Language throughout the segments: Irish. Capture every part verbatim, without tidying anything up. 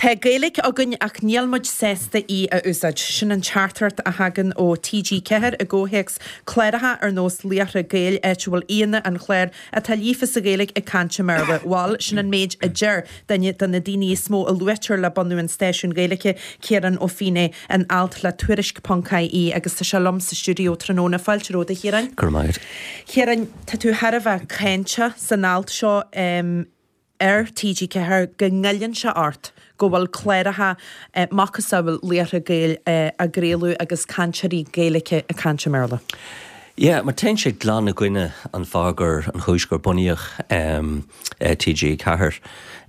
Tá Gaeilge againn ach níl muid sásta í a úsáid. Sin an teachtaireacht a thagann ó TG Ceathair i gcomhthéacs cláracha ar nós Laochra Gael áit a bhfuil aíonna an chláir atá líofa sa Ghaeilge ag caint i mBéarla. Bhuel, sin an méid a deir duine de na daoine is mó a luaitear le bunú an stáisiúin Ghaeilge, Ciarán Ó Feinneadha, in alt le Tuairisc ponc IE agus tá sé liom sa stiúideo tráthnóna. Fáilte romhat a Chiaráin. Go raibh maith agat. Ciaráin, tá tú thar a bheith cáinteach san alt seo um, ar TG Ceathair go ngoilleann sé ort go bhfuil cláracha eh, macasamhail Laochra Gael eh, á gcraoladh agus cainteoirí Gaeilge ag caint i mBéarla. Yeah, mar téann sé glan i gcoinne an fáth gur an chúis gur bunaíodh um, eh, TG Ceathair.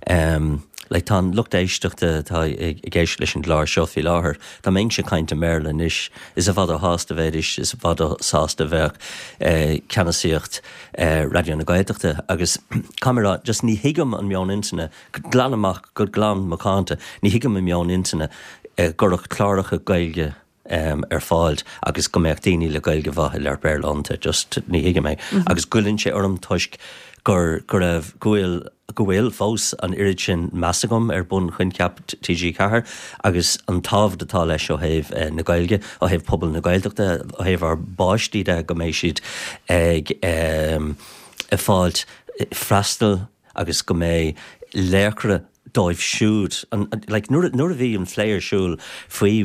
Um, like tá an lucht éisteachta atá ag ag éisteacht leis an gclár seo faoi láthair, Dá mbeinnse ag caint i mBéarla anois is i bhfad ó shásta a bheidís is i bhfad ó sásta bheadh eh, ceannasaíocht eh, Raidió na Gaeltachta agus caithfidh mé just ní thuigim an meon intinne glan amach go glan macánta, ní thuigim an meon intinne eh, go raibh cláracha Gaeilge um, ar fáil agus go mbeadh daoine le Gaeilge mhaith ag labhairt Béarla iontu just ní thuigim é. Mm -hmm. agus goilleann sé orm toisc gur go raibh go bhfuil go bhfuil fós an oiread sin meas agam ar bunchoincheap TG Ceathair agus an tábhacht atá leis ó thaobh eh, na Gaeilge ó thaobh pobal na Gaeltachta ó thaobh ár bpáistí de go mbeidh siad ag um, ag fáilt freastal agus go mbeidh laochra dóibh siúd an, an, like, nuair nuair a bhí an plé ar siúl faoi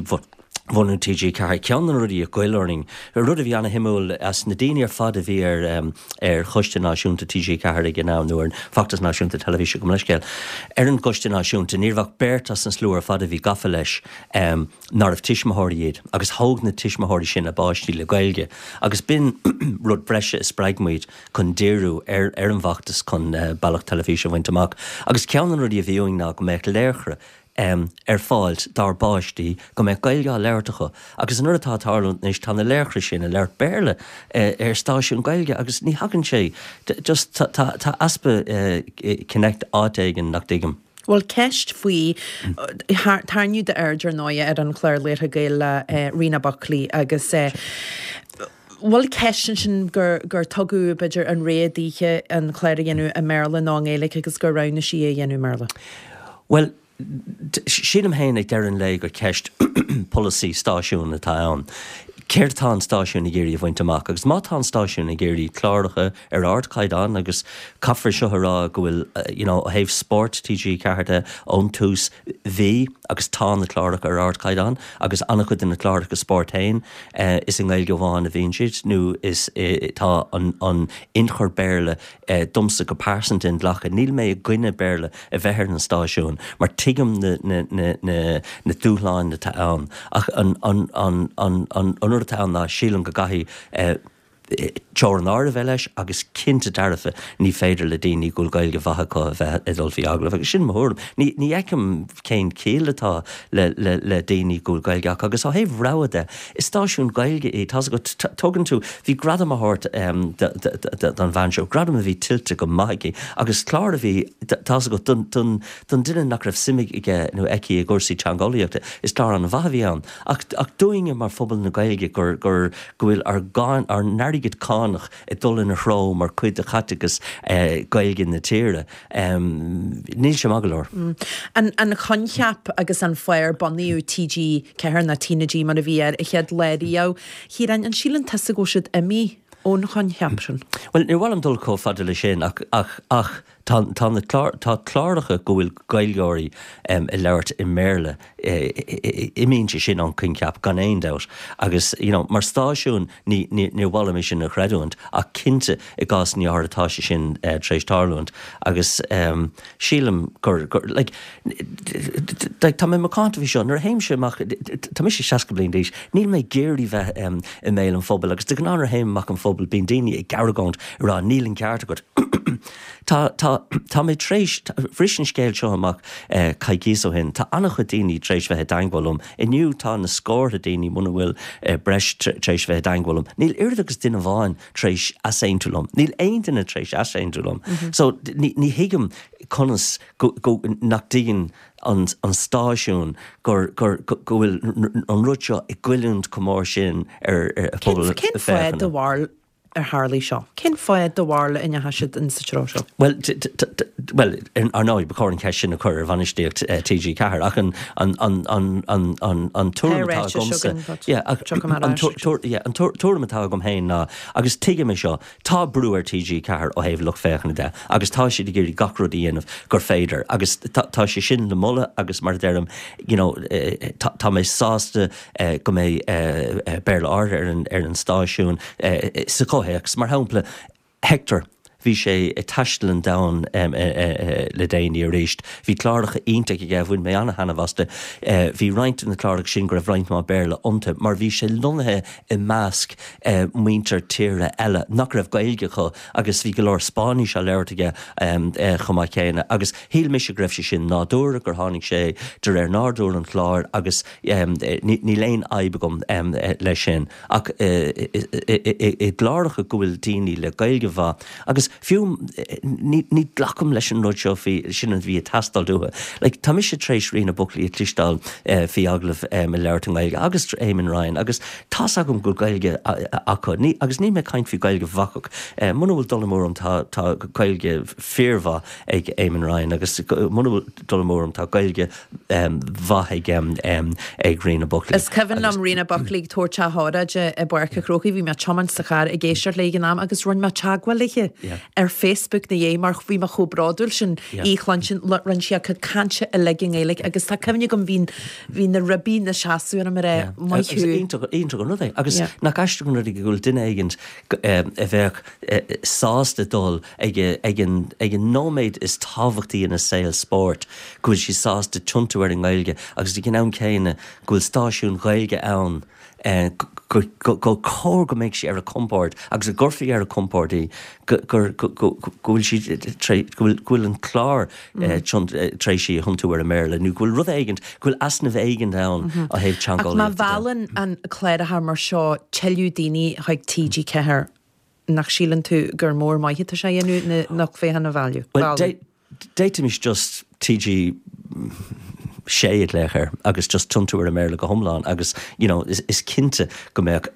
bhunú TG Ceathair ceann na rudaí a ghoill orainn rud a bhí an-shuimiúil as na daoine ar fad a bhí ar um, ar Choiste Náisiúnta TG Ceathair ag an am nó ar Feachtas Náisiúnta Teilifíse go leiscéil. Ar an gCoiste Náisiúnta ní raibh beirt as an slua ar fad a bhí gafa leis um, nárbh tuismitheoirí iad agus thóg na tuismitheoirí sin a bpáistí le Gaeilge agus b'in rud breise a spreag muid chun díriú ar ar an bhfeachtas chun uh, bealach teilifíse a bhaint amach. Agus ceann an rudaí a bhí uainn ná go mbeadh laochra um, ar fáil dár bpáistí go mbeadh Gaeilge á labhairt acu agus an rud atá ag tarlú anois tá na laochra sin ag labhairt Béarla uh, ar stáisiún Gaeilge agus ní thagann sé just tá tá easpa uh, connect áit éigin nach dtuigim. Bhuel ceist faoi tarraingíodh d'aird ar ndóigh ar an chlár Laochra Gael le uh, Rena Buckley agus uh, Bhfuil ceist sin gur gur tugadh b'fhéidir an rogha di an clár a dhéanamh i mBéarla nó i nGaeilge agus gur roghnaigh sí é a dhéanamh i mBéarla. Well, sílim féin ag deireadh an lae gur ceist polasaí stáisiún atá ann. Céard tá an stáisiún ag iarraidh a bhaint amach, agus má tá an stáisiún ag iarraidh cláracha ar ardchaighdeán agus caithfear seo a rá go bhfuil you know, ó thaobh spórt TG Ceathair de ón tús bhí agus tá na cláracha ar ardchaighdeán agus an-chuid de na cláracha spórt féin uh, is i nGaeilge amháin a bhíonn siad nó is uh, tá an, an ionchur Béarla uh, domsa go pearsanta inghlactha níl mé i gcoinne Béarla a bheith ar an stáisiún mar tuigim na, na, na, na, na dúshláin atá ann ach an, an, an, an, an, an rud atá ann ná sílim go gcaithfidh uh, teorainn a bheith leis agus cinnte dearfa ní féidir le daoine go bhfuil Gaeilge mhaith acu a bheith ag dul faoi agallamh agus sin mór ní ní fheicim cén chiall atá le le le daoine go bhfuil Gaeilge acu agus ó thaobh rogha de is stáisiún Gaeilge é tá go tugann tú bhí gradam á thabhairt um, don bhean seo gradam a bhí tuillte go maith aici agus clár a bhí tá go don don don duine nach raibh suim aige nó aici i gcúrsaí teangeolaíochta is clár an-mhaith a bhí ann ach ach dúinne mar phobal na Gaeilge gur gur go bhfuil ár gcáin ár n-airgead cánach ag dul ina threo mar chuid de chaiteachas eh, Gaeilge na tíre. Um, níl sé maith go leor. Mm. An, an coincheap agus an fáth ar bunaíodh TG Ceathair nó TnaG mar a bhí ar an chéad lá riamh. Chiaráin an síleann tusa go bhfuil siad imithe ón choincheap sin. Well ní bhfuil dul chomh fada le sin ach ach ach tá tá na clár tá cláracha go bhfuil Gaeilgeoirí um, ag labhairt i mBéarla imíonn sé sin ón coincheap gan aon dabht agus you know, mar stáisiún ní ní ní bhfuil mé sin a chreidiúint ach cinnte i gcás ní atá sé sin uh, tar éis tarlúint agus um, sílim gur, gur like, like, tá mé macánta faoi seo nuair a théimse amach tá mise seasca bliain d'aois níl mé ag iarraidh bheith um, i mbéal an phobail agus de ghnáth nuair a théim amach an phobal bíonn daoine ag argóint rá níl an ceart agat. Tá tá tá mé tar éis bhris an scéal seo amach eh, coicís ó shin, Tá an-chuid daoine tar éis bheith i dteagmháil liom. Inniu tá na scórtha daoine muna bhfuil eh, breis tar éis bheith i dteagmháil liom. Níl oiread agus duine amháin tar éis easaontú liom. Níl aon duine tar éis easaontú liom. Mm -hmm. So ní, ní thuigim conas go, go nach dtuigeann an, an stáisiún gur, gur, go bhfuil an rud seo ag goilliúint chomh mór sin ar, ar pobal. Cén fáth de bharr ar tharlaigh seo? Cén fáth do bharúil a ndeachaigh siad in sa treo seo? Well, well, ar ndóigh, ba chóir an cheist sin a chur ar bhainistíocht T G Ceathair, ach an an an an an an an tuairim atá agamsa, an tuairim atá agam féin ná, agus tuigim é seo, tá brú ar T G Ceathair ó thaobh lucht féachana de, agus tá siad ag iarraidh gach rud a dhéanamh gur féidir, agus tá sé sin le moladh. Agus mar a deirim, you know, tá mé sásta go mbeidh Béarla áirithe ar an ar an stáisiún sa chomhthéacs. Mar shampla, Hector, bhí sé ag taisteal an domhain le déanaí arís. Bhí cláracha iontach aige, bhain mé an-taitneamh astu. Bhí roinnt de na cláracha sin go raibh roinnt mhaith Béarla iontu, mar bhí sé lonnaithe i measc muintir tíre eile nach raibh Gaeilge acu, agus bhí go leor Spáinnis á labhairt aige chomh maith céanna. Agus shíl mise go raibh sé sin nádúrtha, gur tháinig sé de réir nádúr an chláir, agus níl aon fhadhb agam leis sin. Ach i gcláracha go bhfuil daoine le Gaeilge mhaith, agus fiú ní ní ghlacaim leis an rud seo faoi sin a bhí ag teastáil uathu. Like, tá mise tar éis Ríona Buckley a chloisteáil faoi agallamh ag labhairt i nGaeilge, agus Eamon Ryan, agus tá's agam go Gaeilge acu ní, agus ní mé caint faoi Gaeilge bhacach. Muna bhfuil dul amú orm, tá tá Gaeilge fíormhaith ag Eamon Ryan, agus muna bhfuil dul amú orm, tá Gaeilge mhaith ag ag Ríona Buckley. Is cuimhin liom Ríona Buckley ag tabhairt a hóráide i bPáirc an Chrócaigh. Bhí mé ag tiomáint sa charr ag éisteacht léi ag an am, agus rinne mé teagmháil léi ar Facebook ina dhiaidh, mar bhí mé chomh bródúil sin í a chluinstin. Rinne sí a cuid cainte uilig i nGaeilge, agus tá cuimhne agam bhí bhí na ribí ina seasamh orm ar é maith thú. Iontach an rud é, agus nach aisteach an rud é go bhfuil duine éigin a bheadh sásta dul ag ag an ag an nóiméad is tábhachtaí ina saol spóirt, go bhfuil sí sásta tiontú ar an nGaeilge, agus ag an am céanna go bhfuil stáisiún Gaeilge ann go cóir go mbeidh sí ar a compord agus go gcuirfí ar a compord í go bhfuil sí go bhfuil an clár tar éis í a thiontú ar an mBéarla, nó go bhfuil rud éigin, go bhfuil easnamh éigin ann ó thaobh Ach má teangeolaíochta. mheallann an cláracha mar seo tuilleadh daoine chuig T G Ceathair, nach síleann tú gur mór maith atá sé a dhéanamh na lucht féachana a mhealladh? Well, d'fhéadfaimis just T G sé a ghlaoch air agus just tiontú ar an mBéarla go hiomlán, agus you know, is, is cinnte go mbeadh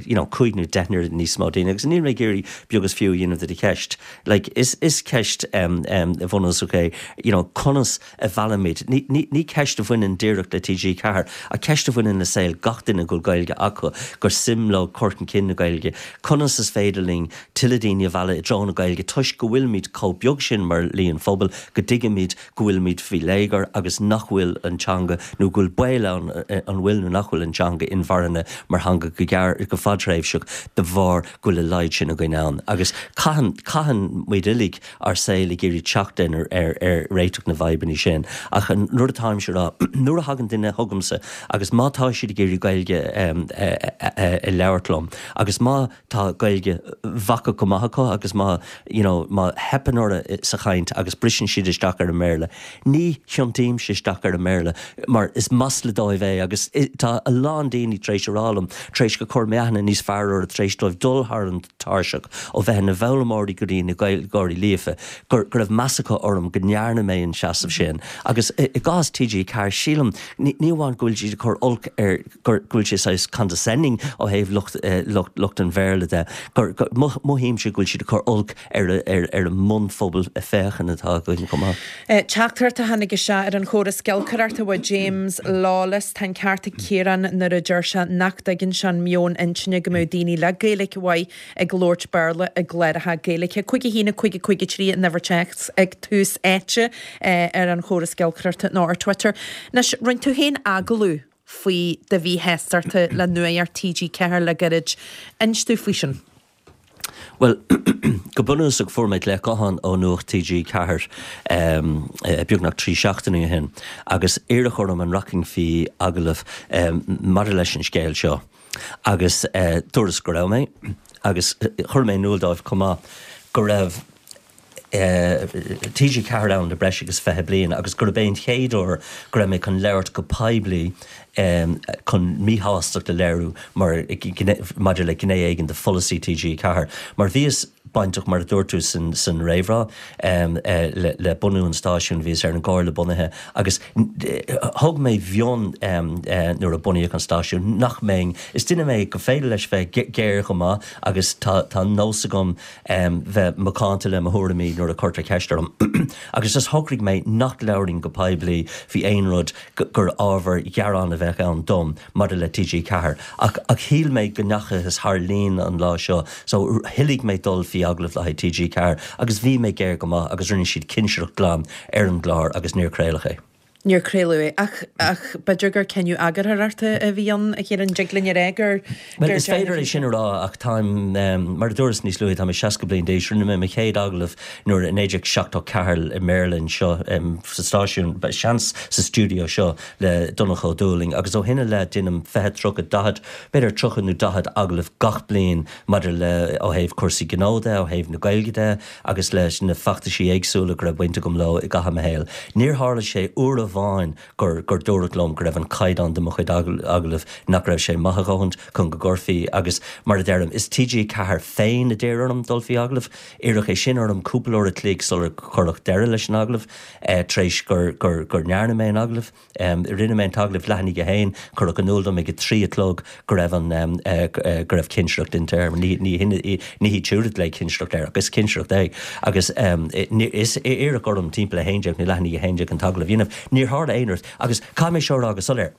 you know, cúig nó deich n-oiread níos mó daoine. Agus níl mé ag iarraidh beag is fiú a dhéanamh de do cheist. Like, is, is ceist um, um, bhunúsach é you know, conas a mheallaimid. Ní, ní, ní ceist a bhaineann díreach le T G Ceathair, ach ceist a bhaineann le saol gach duine go bhfuil Gaeilge acu, gur suim leo cur chun cinn na Gaeilge. Conas is féidir linn tuilleadh daoine a mhealladh i dtreo na Gaeilge, toisc go bhfuilimid chomh beag sin mar líon phobail, go dtuigimid go bhfuilimid faoi léigear agus nach bhfuil an teanga, nó go bhfuil baol ann an bhfuil nó nach bhfuil an teanga inmharthana mar theanga go gearr go fadtréimhseach de bharr go bhfuil a laghad sin againn ann. Agus caitheann caitheann muid uilig ár saol ag iarraidh teacht ar ar ar réiteach na bhfadhbanna sin. Ach an nuair atáim sé rá, nuair a thagann duine chugamsa agus má tá siad ag iarraidh Gaeilge a labhairt liom, agus má tá Gaeilge bhacach go maith acu, agus má you know, má theipeann orthu sa chaint agus briseann siad isteach ar an mBéarla, ní thiontaímse isteach ar an mBéarla, mar is masla dóibh é. Agus tá a lán daoine tar éis a rá liom, tar éis gur chuir mé aithne níos fearr orthu, tar éis dóibh dul thar an tairseach ó bheith ina bhfoghlaimeoirí go dtí na Gaeilgeoirí líofa, gur go raibh meas acu orm go ndearna mé an seasamh sin. Agus i gcás T G Ceathair, sílim ní amháin go bhfuil siad ag cur olc ar go bhfuil sé saghas condescending ó thaobh lucht lucht lucht an Bhéarla de, gur mothaímse go bhfuil siad ag cur olc ar ar ar an mbunphobal féachana atá againn chomh maith. Teachtaireacht a tháinig isteach ar an chóras giolcaireachta ó James Lawless: "Tá an ceart ag Ciarán nuair a deir sé nach dtuigeann sé an meon intinne go mbeadh daoine le Gaeilge mhaith ag labhairt Béarla i gcláracha Gaeilge." Cúig a haon cúig cúig trí an uimhir téacs ag Tús Áite ar an chóras giolcaireachta nó ar Twitter. Anois, rinne tú féin agallamh faoi do mhíshástacht le Nuacht T G Ceathair le gairid. Inis dúinn faoi sin. Well, go bunúsach fuair mé glaoch gutháin ó Nuacht T G Ceathair um, beagnach trí seachtaine ó shin, agus iarradh orm an rachainn faoi agallamh um, maidir leis an scéal seo. Agus uh, dúras go raibh mé, agus chuir mé in iúl dóibh chomh maith go raibh T G Ceathair ann le breis agus fiche bliain agus gurb é an chéad uair go raibh mé chun labhairt go poiblí chun míshástacht a léiriú mar maidir le gné éigin de pholasaí T G Ceathair. Mar bhíos bainteach, mar a dúirt tú san san réamhrá, le le bunú an stáisiúin, bhíos ar an gcomhairle bunaithe agus thug mé mionn nuair a bunaíodh an stáisiún nach mbeinn, is duine mé go féidir leis bheith géar chomh maith agus tá tá nós agam bheith macánta le mo thuairimí nuair a cuirtear ceist orm agus just shocraigh mé nach labhrainn go poiblí faoi aon rud gur ábhar gearáin a bheadh ann dom maidir le T G Ceathair. Ach ach shíl mé go ndeachthas thar líne an lá seo, so thoiligh mé dul faoi agallamh le haghaidh T G Ceathair agus bhí mé géar go maith agus rinne siad cinsireacht glan ar an gclár agus níor craoladh é. Níor craoladh é ach ach b'fhéidir gur cinneadh eagarthóireachta a bhí ann a Chiaráin, dtig linn a rá gur Well is féidir é sin a rá ach táim mar a dúras níos luaithe, tá mé seasca bliain d'aois, rinne mé mo chéad agallamh nuair i naoi déag seachtó ceathair i mBéarla anseo sa stáisiún, seans sa stiúideo seo le Donncha Ó Dúlaing agus ó shin i leith déanaim fiche, tríocha, daichead, b'fhéidir tríocha nó daichead agallamh gach bliain maidir le ó thaobh cúrsaí gnó de, ó thaobh na Gaeilge de agus leis na feachtaisí éagsúla go raibh baint agam leo i gcaitheamh mo shaoil. Níor tharla sé uair amháin gur gur dúradh liom go raibh an caighdeán de mo chuid agallamh nach raibh sé maith a dhóthain chun go gcuirfí agus mar a deirim is T G Ceathair féin a d'iarr orm dul faoi agallamh. Iarradh é sin orm cúpla uair a chloig sular cuireadh deireadh leis an agallamh eh, tar éis gur gur gur ndearna mé an agallamh. Um, rinne mé an t-agallamh leath i ndiaidh a haon, cuireadh in iúl dom ag a trí a chlog go raibh an um, uh, go raibh cinsireacht déanta air. Ní ní ní hiad siúd a glaoigh cinsireacht air agus cinsireacht é agus um, is iarradh orm timpeall a haon déag nó leath i ndiaidh a haon déag an t-agallamh a dhéanamh. Níor tharla aon rud agus caithfidh mé seo a rá go soiléir.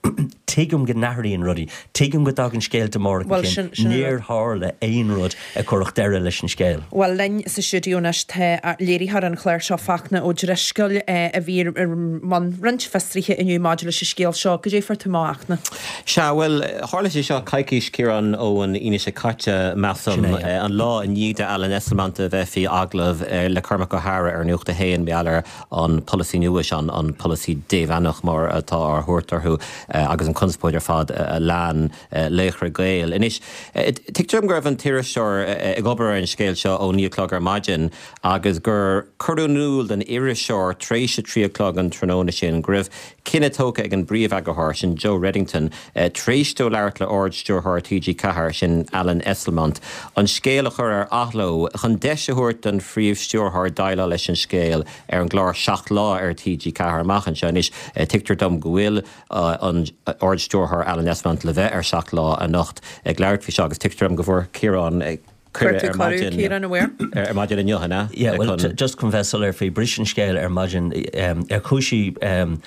Tuigim go n-athraíonn rudaí, Tuigim go dtagann scéalta móra Well, sin- sin níor tharla aon rud a chuirfeadh deireadh leis an scéal. Well linn sa stiúideo anois tá léiritheoir an chláir seo, Fachtna Ó Drisceoil, a bhí ar mbun roinnt fiosruithe inniu maidir leis an scéal seo, goidé fuair tú amach, a Fhachtna. Sea, bhuel, tharla sé seo coicís, Ciarán, ón Aoine seo caite, measaim, Sin é, an lá i ndiaidh Alan Esslemont a bheith faoi agallamh le Cormac Ó hEadhra ar Nuacht a hAon mar gheall ar an polasaí nua an an polasaí démheánach mar atá á thabhairt orthu agus an conspóid ar fad a lean Laochra Gael. Anois, tuigtear go raibh an t-iriseoir ag obair ar an scéal seo ó naoi a chlog ar maidin agus gur cuireadh in iúl don iriseoir tar éis a trí a chlog an tráthnóna sin go raibh cinneadh tógtha ag an bpríomh-eagarthóir sin Joe Reddington tar éis dó labhairt le Ard-Stiúrthóir T G Ceathair sin Alan Esslemont an scéal a chur ar athló chun deis a thabhairt don phríomh-stiúrthóir déileáil leis an scéal ar an gclár Seacht Lá ar T G Ceathair amach anseo. Anois tuigtear dom go bhfuil an Ard-Stiúrthóir Alan Esslemont le bheith ar Seacht Lá anocht ag labhairt faoi seo agus tuigtear dom go bhfuair Ciarán cuireadh ar maidin Ciarán aware. ar maidin inniu na Yeah, well, just chun bheith soiléir faoi, briseadh an scéal ar maidin um, ar chúinsí um,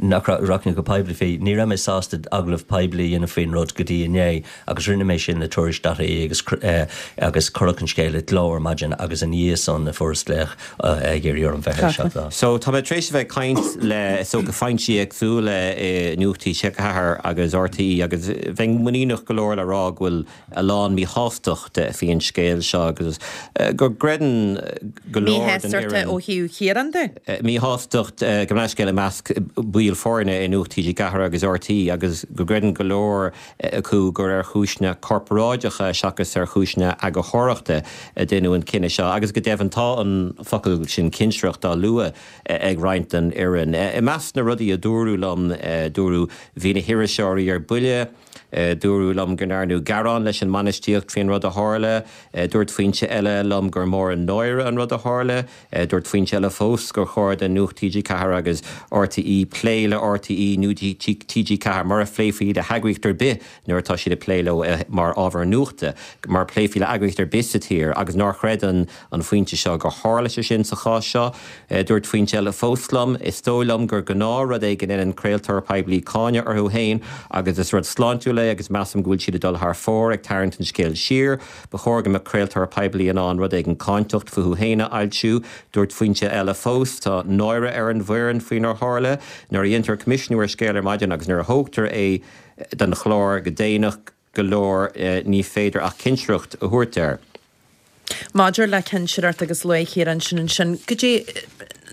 nach rachainn go poiblí faoi, ní raibh mé sásta agallamh poiblí a dhéanamh faoin rud go dtí inné agus rinne mé sin le Tuairisc dot I E agus uh, agus cuireadh an scéal i gcló ar maidin agus ina dhiaidh san a fuaireas glaoch uh, ag iarraidh orm bheith ar Seacht Lá. So tá mé tar éis a bheith ag caint le so go foinsí éagsúla i Nuacht T G Ceathair agus R T É agus bheinn muiníneach go leor le rá go bhfuil a lán míshástacht faoin scéal seo agus go gcreideann go leor den Míshástacht ó thaobh Chiaráin de? Míshástacht go leiscéil i measc baill foirne i Nuacht T G Ceathair agus R T É agus go gcreideann go leor acu gur ar chúiseanna corparáideacha seachas ar chúiseanna eagarthóireachta a deineadh an cinneadh seo agus go deimhin tá an focal sin cinsireacht á lua ag roinnt den fhoireann. I measc na rudaí a dúradh liom, dúradh bhí na hiriseoirí ar buile, dúradh liom go ndearnadh gearán leis an mbainistíocht faoin rud a tharla, dúirt foinse eile liom gur mór an náire an rud a tharla, dúirt foinse eile fós gur chóir do Nuacht T G Ceathair agus R T É plé le R T É nó T G Ceathair mar a phléifí le heagraíocht ar bith nuair atá siad ag plé leo mar ábhar nuachta, mar phléifí le heagraíocht ar bith sa tír agus nár chreid an an foinse seo gur tharla sé sin sa chás seo. Dúirt foinse eile fós liom, is dóigh liom gur gnáthrud é go ndéanann craoltóir poiblí cáineadh orthu féin agus is rud sláintiúil é agus measaim go bhfuil siad ag dul thar fóir ag tarraingt an scéal siar, Ba chóir go mbeadh craoltóir poiblí in ann rud éigin cáinteach fúthu féin a fhoilsiú, dúirt foinse eile fós tá náire ar an bhfoireann faoinar tharla, nuair a dhéantar coimisiúnú ar scéal ar maidin agus nuair a thógtar é den chlár go déanach go leor ní féidir ach cinsireacht a thabhairt air. Maidir le cinsireacht agus luaigh Ciarán sin ansin, goidé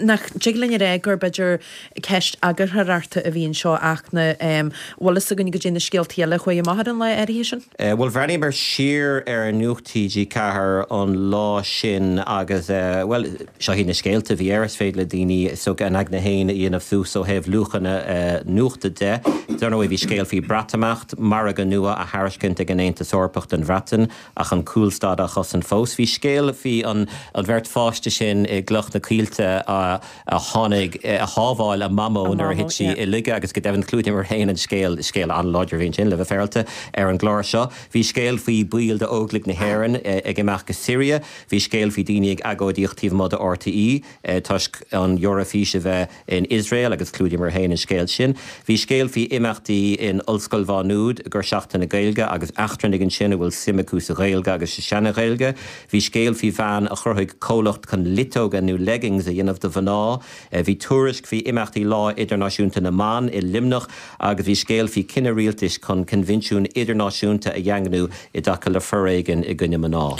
Nach dtig linn a rá gur b'fhéidir ceist eagarthóireachta a bhí anseo ach na bhfuil fhios againn go dtí na scéaltaí eile a chuaigh amach ar an lá áirithe sin? Bhuel, bhreathnaíomar siar ar Nuacht TG Ceathair an lá sin agus, bhuel, seo iad na scéalta a bhí air, is féidir le daoine is dócha a n-aigne féin a dhéanamh suas ó thaobh luachanna nuachta de. Dar ndóigh, bhí scéal faoi Breatimeacht, margadh nua á thairiscint ag an Aontas Eorpach don Bhreatain ach an cúlstad á chosaint fós. Bhí scéal faoi an bheirt pháiste sin i gCloich na Coillte a tháinig, a shábháil a mamó nuair a thit sí i laige agus go deimhin chlúdaíomar féin an scéal, scéal an-láidir a bhí ansin le bheith féaráilte, ar an gclár seo. Bhí scéal faoi baill d'Óglaigh na hÉireann ag imeacht go Siria, bhí scéal faoi daoine ag agóidíocht taobh amuigh de RTÉ toisc an Eoraifís a bheith in Iosrael agus chlúdaíomar féin an scéal sin. Bhí scéal faoi imeachtaí in Ollscoil Mhá Nuad i gcomhair Seachtain na Gaeilge agus eachtrannaigh ansin a bhfuil suim acu sa Ghaeilge agus sa seana-Ghaeilge. Bhí scéal faoi bhean a chruthaigh comhlacht chun luiteoga nó leggings a dhéanamh do mhná. Bhí tuairisc faoi imeachtaí Lá Idirnáisiúnta na mBan i Luimneach agus bhí scéal faoi chinneadh rialtais chun coinbhinsiún idirnáisiúnta a dhaingniú i dtaca le foréigean i gcoinne mná.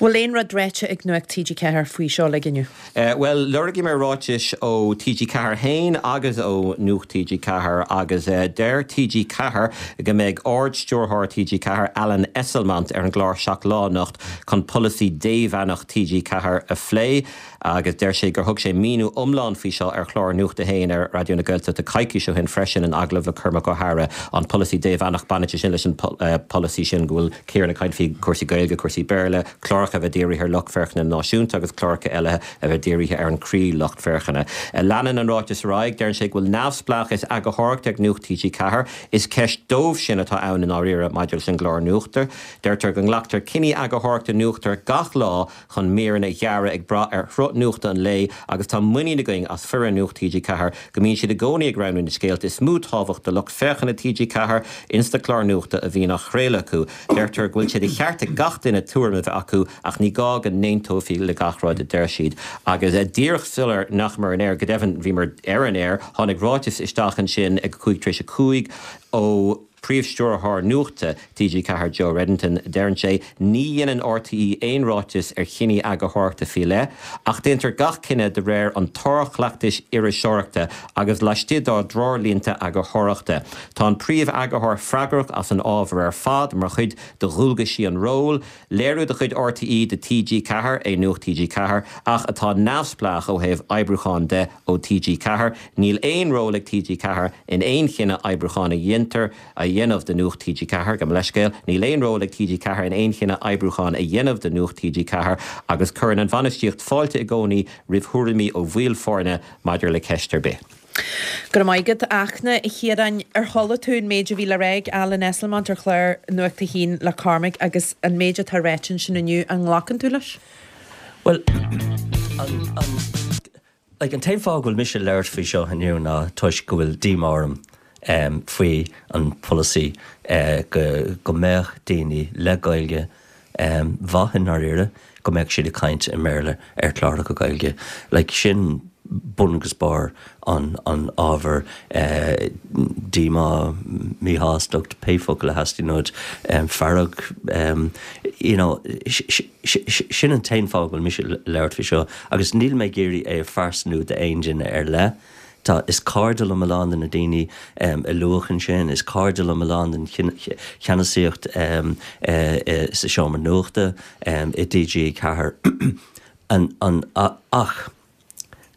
Bhfuil aon rud ráite ag Nuacht TG Ceathair faoi seo uilig inniu? Bhuel, lorgaíomar ráitis ó TG Ceathair féin agus ó Nuacht TG Ceathair agus deir TG Ceathair go mbeidh Ard-Stiúrthóir TG Ceathair, Alan Esslemont, ar an gclár Seacht Lá anocht chun polasaí démheánach TG Ceathair a phlé agus deir sé gur thug sé míniú iomlán faoi seo ar chlár Nuacht a hAon ar Raidió na Gaeltachta coicís ó shin freisin in agallamh le Cormac Ó hEadhra. An polasaí démheánach, baineann sé sin leis an polasaí sin go bhfuil Ciarán ag caint faoi chúrsaí Gaeilge, cúrsaí Béarla, cláracha a bheith dírithe ar lucht féachana náisiúnta agus cláracha eile a bheith dírithe ar an chroí-lucht féachana. Leanann an ráiteas ar aghaidh, deireann sé go bhfuil neamhspleáchas eagarthóireachta ag Nuacht TG Ceathair. Is ceist dóibh sin atá ann i ndáiríre maidir leis an gclár nuachta. Deirtear go nglactar cinní eagarthóireachta nuachta gach lá chun míreanna a dhearadh ag brath ar shruth nuachta an lae agus tá muinín againn as foireann Nuacht TG Ceathair go mbíonn siad i gcónaí ag roghnú na scéalta is mó tábhacht do lucht féachana TG Ceathair insa chlár nuachta a bhíonn á chraoladh acu. Deirtear go bhfuil sé de cheart ag gach duine tuairim a bheith acu ach ní gá go n-aontófaí le gach rud a deir siad. Agus díreach sular ndeachamar ar an aer, go deimhin bhíomar ar an aer, tháinig ráiteas isteach ansin ag a cúig tar éis a cúig ó Príomh-Stiúrthóir Nuachta TG Ceathair Joe Reddington, deireann sé, Ní dhéanann RTÉ aon ráiteas ar chinní eagarthóireachta faoi leith, ach déantar gach cinneadh de réir an tsárchleachtais iriseoireachta agus laistigh dár dtreoirlínte eagarthóireachta. Tá an Príomh-Eagarthóir freagrach as an ábhar ar fad mar chuid de dhualgaisí an róil. Léiriú de chuid RTÉ do TG Ceathair é Nuacht TG Ceathair ach atá neamhspleách ó thaobh oibriúcháin de ó TG Ceathair. Níl aon ról ag TG Ceathair in aon chinneadh oibriúcháin a dhéantar a dhéanamh do Nuacht TG Ceathair, gabh mo leithscéal, níl aon ról ag TG Ceathair in aon chinneadh oibriúcháin a dhéanamh do Nuacht TG Ceathair agus cuireann an bhainistíocht fáilte i gcónaí roimh thuairimí ó bhaill foirne maidir le ceist ar bith. Go raibh maith agat, a Fhachtna. A Chiaráin, ar chuala tú an méid a bhí le rá ag Alan Esslemont ar chlár Nuacht a hAon le Cormac agus an méid atá ráite ansin inniu, an nglacann tú leis? Bhuel, an, an, like, an t-aon fáth go bhfuil mise ag labhairt faoi seo inniu ná toisc go bhfuil díomá orm faoi an pholasaí go, go mbeadh daoine le Gaeilge mhaith i ndáiríre, go mbeadh siad ag caint i mBéarla ar chláracha Gaeilge. Like, sin bun agus barr an an ábhair díomá, míshástacht, pé focal a theastaíonn uait, fearg, you know, sin an t-aon fáth go bhfuil mise ag labhairt faoi seo agus níl mé ag iarraidh é a phearsanú d'aon duine ar leith. Tá, is cairde liom a lán de na daoine a luadh ansin, is cairde liom a lán den cheannasaíocht sa seomra nuachta i TG Ceathair. An, ach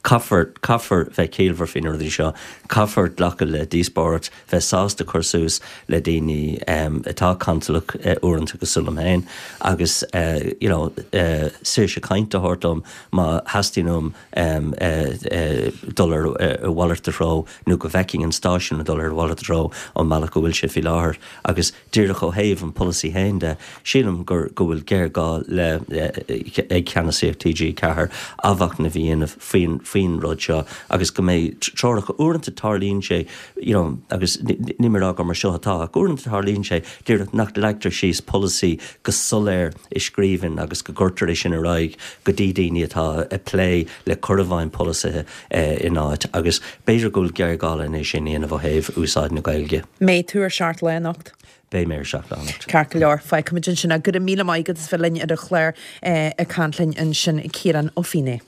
caithfear, caithfear bheith ciallmhar faoi na rudaí seo, caithfear glacadh le díospóireacht, bheith sásta cur suas le daoine atá cantalach uaireanta cosúil liom féin agus you know saoirse cainte a thabhairt dom má theastaíonn uaim dul ar a mhalairt de threo nó go bhfeicfinn an stáisiún ag dul ar a mhalairt de threo ón mbealach go bhfuil sé faoi láthair agus díreach ó thaobh an pholasaí féin de, sílim gur go bhfuil géarghá le ag ceannasaíocht TG Ceathair athmhachnamh a dhéanamh faoin faoin rud seo agus go mbeidh treoracha, uaireanta tarlaíonn sé you know agus níl mé ag rá gur mar seo atá ach uaireanta tarlaíonn sé díreach nach leagtar síos polasaí go soiléir i scríbhinn agus go gcuirtear é sin ar aghaidh go dtí daoine atá ag plé le cur i bhfeidhm polasaithe in áit agus b'fhéidir go bhfuil géarghá len é sin a dhéanamh ó thaobh úsáid na Gaeilge. Mbeidh tú ar Seacht Lá anocht? Beidh mé ar Seacht Lá anocht. Ceart go leor, fágfaimid ansin é. Go raibh míle maith agat as bheith linn ar an chlár ag caint linn ansin, Ciarán Ó Feinneadha.